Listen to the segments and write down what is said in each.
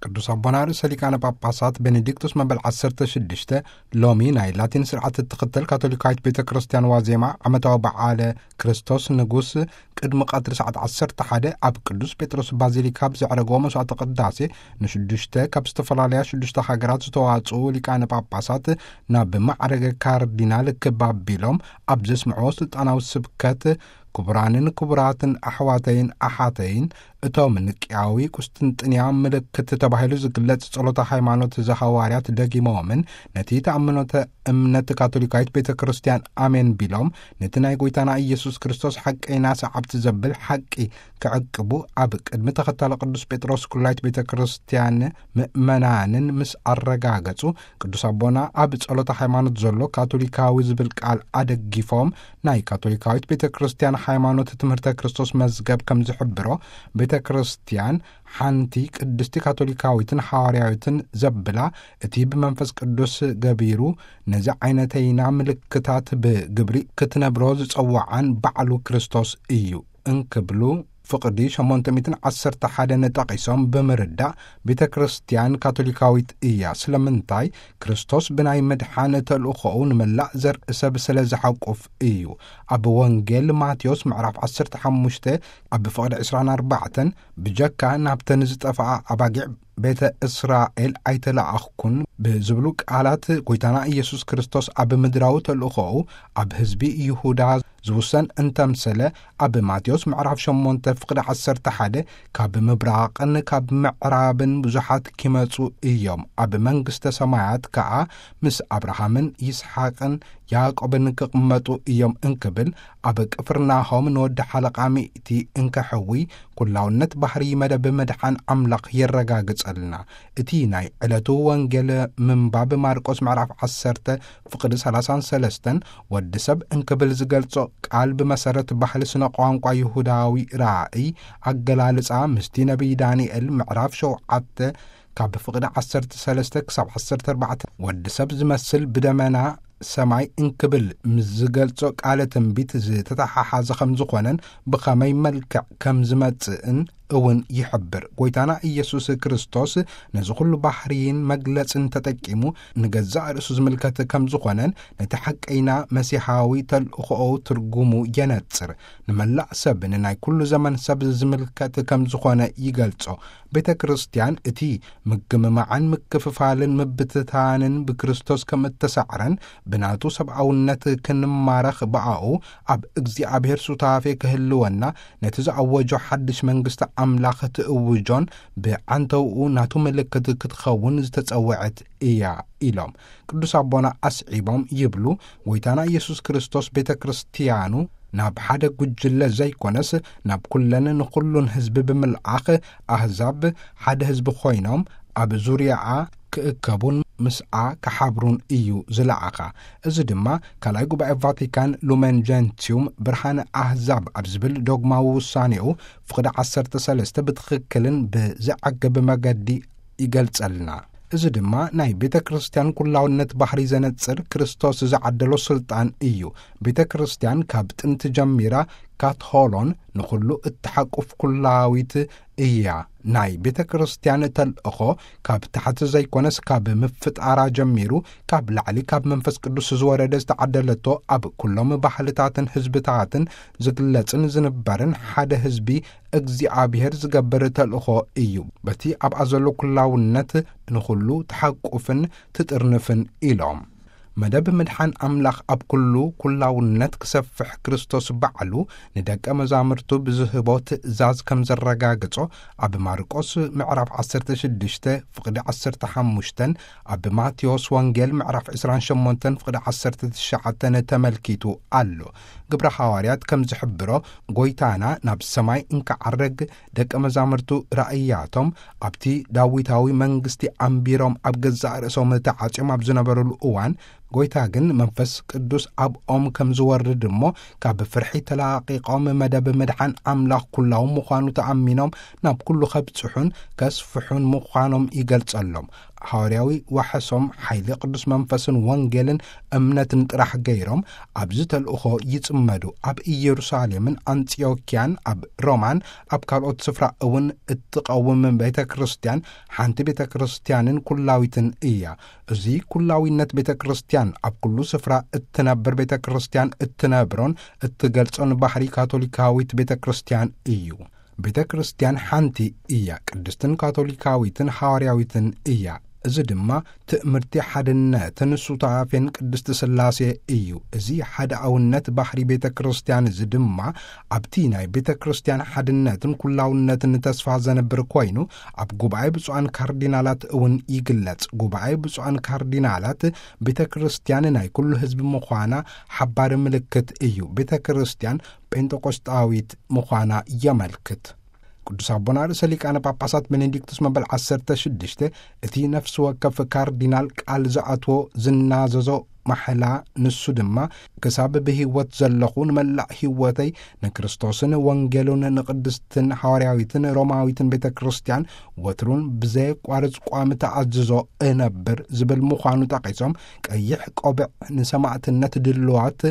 ቅዱስ ኣቦና ርእሰ ሊቃነ ጳጳሳት ቤኔዲክቶስ መበል ዓሰርተ ሽዱሽተ ሎሚ ናይ ላቲን ስርዓት እትኽተል ካቶሊካዊት ቤተ ክርስቲያን ዋዜማ ዓመታዊ በዓለ ክርስቶስ ንጉስ ቅድሚ ቀትሪ ሰዓት ዓሰርተ ሓደ ኣብ ቅዱስ ጴጥሮስ ባዚሊካ ብዘዕረግዎ መስዋዕተ ቅዳሴ ንሽዱሽተ ካብ ዝተፈላለያ ሽዱሽተ ሃገራት ዝተዋጽኡ ሊቃነ ጳጳሳት ናብ ማዕረገ ካርዲናል ክብ ኣቢሎም ኣብ ዘስምዕዎ ስልጣናዊ ስብከት ክቡራንን ክቡራትን ኣሕዋተይን ኣሓተይን እቶም ንቅያዊ ቁስጥንጥንያ ምልክት ተባሂሉ ዝግለጽ ጸሎተ ሃይማኖት ዘሃዋርያት ደጊሞምን ነቲ ተኣምኖተ እምነት ካቶሊካዊት ቤተ ክርስቲያን ኣሜን ቢሎም ነቲ ናይ ጎይታና ኢየሱስ ክርስቶስ ሓቀይና ሰዓብቲ ዘብል ሓቂ ክዕቅቡ ኣብ ቅድሚ ተኸታሊ ቅዱስ ጴጥሮስ ኩላይት ቤተ ክርስቲያን ምእመናንን ምስ ኣረጋገጹ ቅዱስ ኣቦና ኣብ ጸሎተ ሃይማኖት ዘሎ ካቶሊካዊ ዝብል ቃል ኣደጊፎም ናይ ካቶሊካዊት ቤተ ክርስቲያን ሃይማኖት ትምህርተ ክርስቶስ መዝገብ ከም ዝሕብሮ ቤተ ክርስቲያን ሓንቲ ቅድስቲ ካቶሊካዊትን ሃዋርያዊትን ዘብላ እቲ ብመንፈስ ቅዱስ ገቢሩ ነዚ ዓይነተይና ምልክታት ብግብሪ ክትነብሮ ዝጸውዓን ባዕሉ ክርስቶስ እዩ እንክብሉ ፍቕዲ ሸሞንተ ሚእትን ዓሰርተ ሓደን ጠቒሶም ብምርዳእ ቤተ ክርስቲያን ካቶሊካዊት እያ። ስለምንታይ ክርስቶስ ብናይ ምድሓን ተልእኾኡ ንመላእ ዘርኢ ሰብ ስለ ዝሓቁፍ እዩ። ኣብ ወንጌል ማቴዎስ ምዕራፍ ዓሰርተ ሓሙሽተ ኣብ ፍቕዲ ዕስራን ኣርባዕተን ብጀካ ናብተን ዝጠፍኣ ኣባጊዕ ቤተ እስራኤል ኣይተለኣኽኩን ብዝብሉ ቃላት ጎይታና ኢየሱስ ክርስቶስ ኣብ ምድራዊ ተልእኾኡ ኣብ ህዝቢ ይሁዳ ዝውሰን እንተምሰለ ኣብ ማቴዎስ ምዕራፍ ሸሞንተ ፍቕዲ ዓሰርተ ሓደ ካብ ምብራቕን ካብ ምዕራብን ብዙሓት ኪመጹ እዮም፣ ኣብ መንግስተ ሰማያት ከኣ ምስ ኣብርሃምን ይስሓቅን ያዕቆብን ክቕመጡ እዮም እንክብል ኣብ ቅፍርናሆም ንወዲ ሓለቓ ሚእቲ እንከሕዊ ኩላውነት ባህሪ መደብ ምድሓን ኣምላኽ የረጋግጸልና። እቲ ናይ ዕለቱ ወንጌል ምንባብ ማርቆስ ምዕራፍ ዓሰርተ ፍቕዲ ሰላሳን ሰለስተን ወዲ ሰብ እንክብል ዝገልጾ ቃል ብመሰረት ባህሊ ስነ ቋንቋ ይሁዳዊ ራእይ ኣገላልጻ ምስቲ ነቢይ ዳንኤል ምዕራፍ ሸውዓተ ካብ ፍቕዲ ዓሰርተ ሰለስተ ክሳብ ዓሰርተ ኣርባዕተ ወዲ ሰብ ዝመስል ብደመና ሰማይ እንክብል ምስ ዝገልጾ ቃለ ትንቢት ዝተተሓሓዘ ከም ዝኾነን ብኸመይ መልክዕ ከም ዝመጽእን እውን ይሕብር። ጎይታና ኢየሱስ ክርስቶስ ነዚ ኩሉ ባህርይን መግለጽን ተጠቂሙ ንገዛእ ርእሱ ዝምልከት ከም ዝኾነን ነቲ ሓቀይና መሲሓዊ ተልእኾኡ ትርጉሙ የነጽር። ንመላእ ሰብ ንናይ ኩሉ ዘመን ሰብ ዝምልከት ከም ዝኾነ ይገልጾ። ቤተ ክርስቲያን እቲ ምግምማዕን ምክፍፋልን ምብትታንን ብክርስቶስ ከም እተሳዕረን ብናቱ ሰብኣውነት ክንማረኽ ብኣኡ ኣብ እግዚኣብሔር ሱታፌ ክህልወና ነቲ ዝኣወጆ ሓድሽ መንግስቲ ኣምላኽ ትእውጆን ብዓንተውኡ ናቱ ምልክት ክትኸውን ዝተጸውዐት እያ ኢሎም። ቅዱስ ኣቦና ኣስዒቦም ይብሉ፣ ጎይታና ኢየሱስ ክርስቶስ ቤተ ክርስቲያኑ ናብ ሓደ ጉጅለ ዘይኮነስ ናብ ኩለን ንኹሉን ህዝቢ ብምልኣኽ ኣህዛብ ሓደ ህዝቢ ኮይኖም ኣብ ዙርያኣ ክእከቡን ምስኣ ክሓብሩን እዩ ዝለኣኻ። እዚ ድማ ካልኣይ ጉባኤ ቫቲካን ሉመን ጀንቲዩም ብርሃነ ኣህዛብ ኣብ ዝብል ዶግማዊ ውሳኔኡ ፍቕዲ ዓሰርተ ሰለስተ ብትኽክልን ብዘዕግብ መገዲ ይገልጸልና። እዚ ድማ ናይ ቤተ ክርስቲያን ኩላውነት ባህሪ ዘነጽር ክርስቶስ ዝዓደሎ ስልጣን እዩ። ቤተ ክርስቲያን ካብ ጥንቲ ጀሚራ ካትሆሎን ንኹሉ እትሓቁፍ ኩላዊት እያ። ናይ ቤተ ክርስቲያን ተልእኾ ካብ ታሕቲ ዘይኮነስ ካብ ምፍጣራ ጀሚሩ ካብ ላዕሊ ካብ መንፈስ ቅዱስ ዝወረደ ዝተዓደለቶ ኣብ ኩሎም ባህልታትን ህዝብታትን ዝግለጽን ዝንበርን ሓደ ህዝቢ እግዚኣብሔር ዝገብር ተልእኾ እዩ። በቲ ኣብኣ ዘሎ ኩላውነት ንኹሉ ትሓቁፍን ትጥርንፍን ኢሎም። መደብ ምድሓን ኣምላኽ ኣብ ኩሉ ኩላውነት ክሰፍሕ ክርስቶስ ባዕሉ ንደቀ መዛሙርቱ ብዝህቦ ትእዛዝ ከም ዘረጋግጾ ኣብ ማርቆስ ምዕራፍ ዓሰርተ ሽዱሽተ ፍቕዲ ዓሰርተ ሓሙሽተን ኣብ ማቴዎስ ወንጌል ምዕራፍ ዕስራን ሸሞንተን ፍቕዲ ዓሰርተ ትሽዓተን ተመልኪቱ ኣሎ። ግብረ ሃዋርያት ከም ዝሕብሮ ጎይታና ናብ ሰማይ እንክዓርግ ደቀ መዛሙርቱ ራእያቶም ኣብቲ ዳዊታዊ መንግስቲ ኣንቢሮም ኣብ ገዛእ ርእሶም ተዓጽዮም ኣብ ዝነበሩሉ እዋን ጎይታ ግን መንፈስ ቅዱስ ኣብኦም ከም ዝወርድ እሞ ካብ ፍርሒ ተላቒቖም መደብ ምድሓን ኣምላኽ ኩላዊ ምዃኑ ተኣሚኖም ናብ ኩሉ ከብጽሑን ከስፍሑን ምዃኖም ይገልጸሎም። ሃዋርያዊ ዋሕሶም ሓይሊ ቅዱስ መንፈስን ወንጌልን እምነትን ጥራሕ ገይሮም ኣብዚ ተልእኾ ይጽመዱ። ኣብ ኢየሩሳሌምን ኣንጽዮክያን፣ ኣብ ሮማን፣ ኣብ ካልኦት ስፍራ እውን እትቐውም ቤተ ክርስቲያን ሓንቲ ቤተ ክርስቲያንን ኩላዊትን እያ። እዚ ኩላዊነት ቤተ ክርስቲያን ኣብ ኩሉ ስፍራ እትነብር ቤተ ክርስቲያን እትነብሮን እትገልጾን ባህሪ ካቶሊካዊት ቤተ ክርስቲያን እዩ። ቤተ ክርስቲያን ሓንቲ እያ፣ ቅድስትን ካቶሊካዊትን ሃዋርያዊትን እያ። እዚ ድማ ትእምርቲ ሓድነትን ሱታፌን ቅድስቲ ሥላሴ እዩ። እዚ ሓደ ኣውነት ባህሪ ቤተ ክርስቲያን እዚ ድማ ኣብቲ ናይ ቤተ ክርስቲያን ሓድነትን ኩላውነትን ተስፋ ዘንብር ኮይኑ፣ ኣብ ጉባኤ ብፁዓን ካርዲናላት እውን ይግለጽ። ጉባኤ ብፁዓን ካርዲናላት ቤተ ክርስቲያን ናይ ኩሉ ህዝቢ ምዃና ሓባሪ ምልክት እዩ። ቤተ ክርስቲያን ጴንጠቆስጣዊት ምዃና የመልክት። ቅዱስ ኣቦና ርእሰ ሊቃነ ጳጳሳት ቤኔዲክቱስ መበል ዓሰርተ ሽዱሽተ እቲ ነፍሲ ወከፍ ካርዲናል ቃል ዝኣትዎ ዝናዘዞ ማሕላ፣ ንሱ ድማ ክሳብ ብህይወት ዘለኹ ንመላእ ህይወተይ ንክርስቶስን ወንጌሉን ንቅድስትን ሃዋርያዊትን ሮማዊትን ቤተ ክርስቲያን ወትሩን ብዘየቋርጽ ቋሚ ተኣዝዞ እነብር ዝብል ምዃኑ ጠቒሶም፣ ቀይሕ ቆብዕ ንሰማዕትነት ድልዋት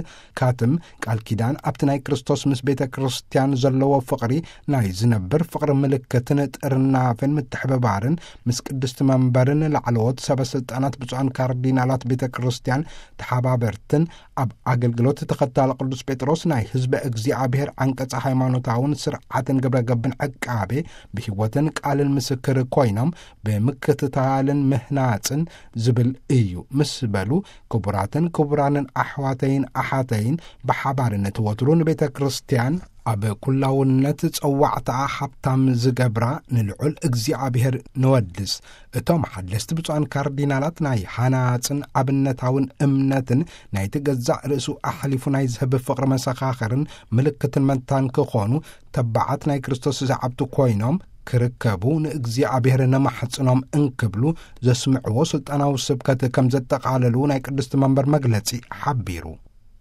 ካትም ቃል ኪዳን ኣብቲ ናይ ክርስቶስ ምስ ቤተ ክርስቲያን ዘለዎ ፍቕሪ ናይ ዝነብር ፍቕሪ ምልክትን ጥርናፈን ምትሕብባርን ምስ ቅድስቲ መንበርን ላዕለዎት ሰበ ስልጣናት ብፁዓን ካርዲናላት ቤተ ክርስቲያን ተሓባበርትን ኣብ ኣገልግሎት ተኸታሊ ቅዱስ ጴጥሮስ ናይ ህዝበ እግዚኣብሔር ዓንቀጸ ሃይማኖታውን ስርዓትን ግብረ ገብን ዕቃቤ ብህይወትን ቃልን ምስክር ኮይኖም ብምክትታልን ምህናጽን ዝብል እዩ ምስ በሉ፣ ክቡራትን ክቡራንን ኣሕዋተይን ኣሓተይን፣ ብሓባርነት ወትሩ ንቤተ ክርስቲያን ኣብ ኩላውነት ጸዋዕታኣ ሃብታም ዝገብራ ንልዑል እግዚኣብሔር ንወድስ። እቶም ሓደስቲ ብፁዓን ካርዲናላት ናይ ሃናጽን ኣብነታውን እምነትን ናይቲ ገዛእ ርእሱ ኣሕሊፉ ናይ ዝህብ ፍቕሪ መሰኻኽርን ምልክትን መታን ክኾኑ፣ ተባዓት ናይ ክርስቶስ ዝዓብቱ ኮይኖም ክርከቡ ንእግዚኣብሔር ነማሕጽኖም እንክብሉ ዘስምዕዎ ስልጣናዊ ስብከት ከም ዘጠቓለሉ ናይ ቅድስቲ መንበር መግለጺ ሓቢሩ።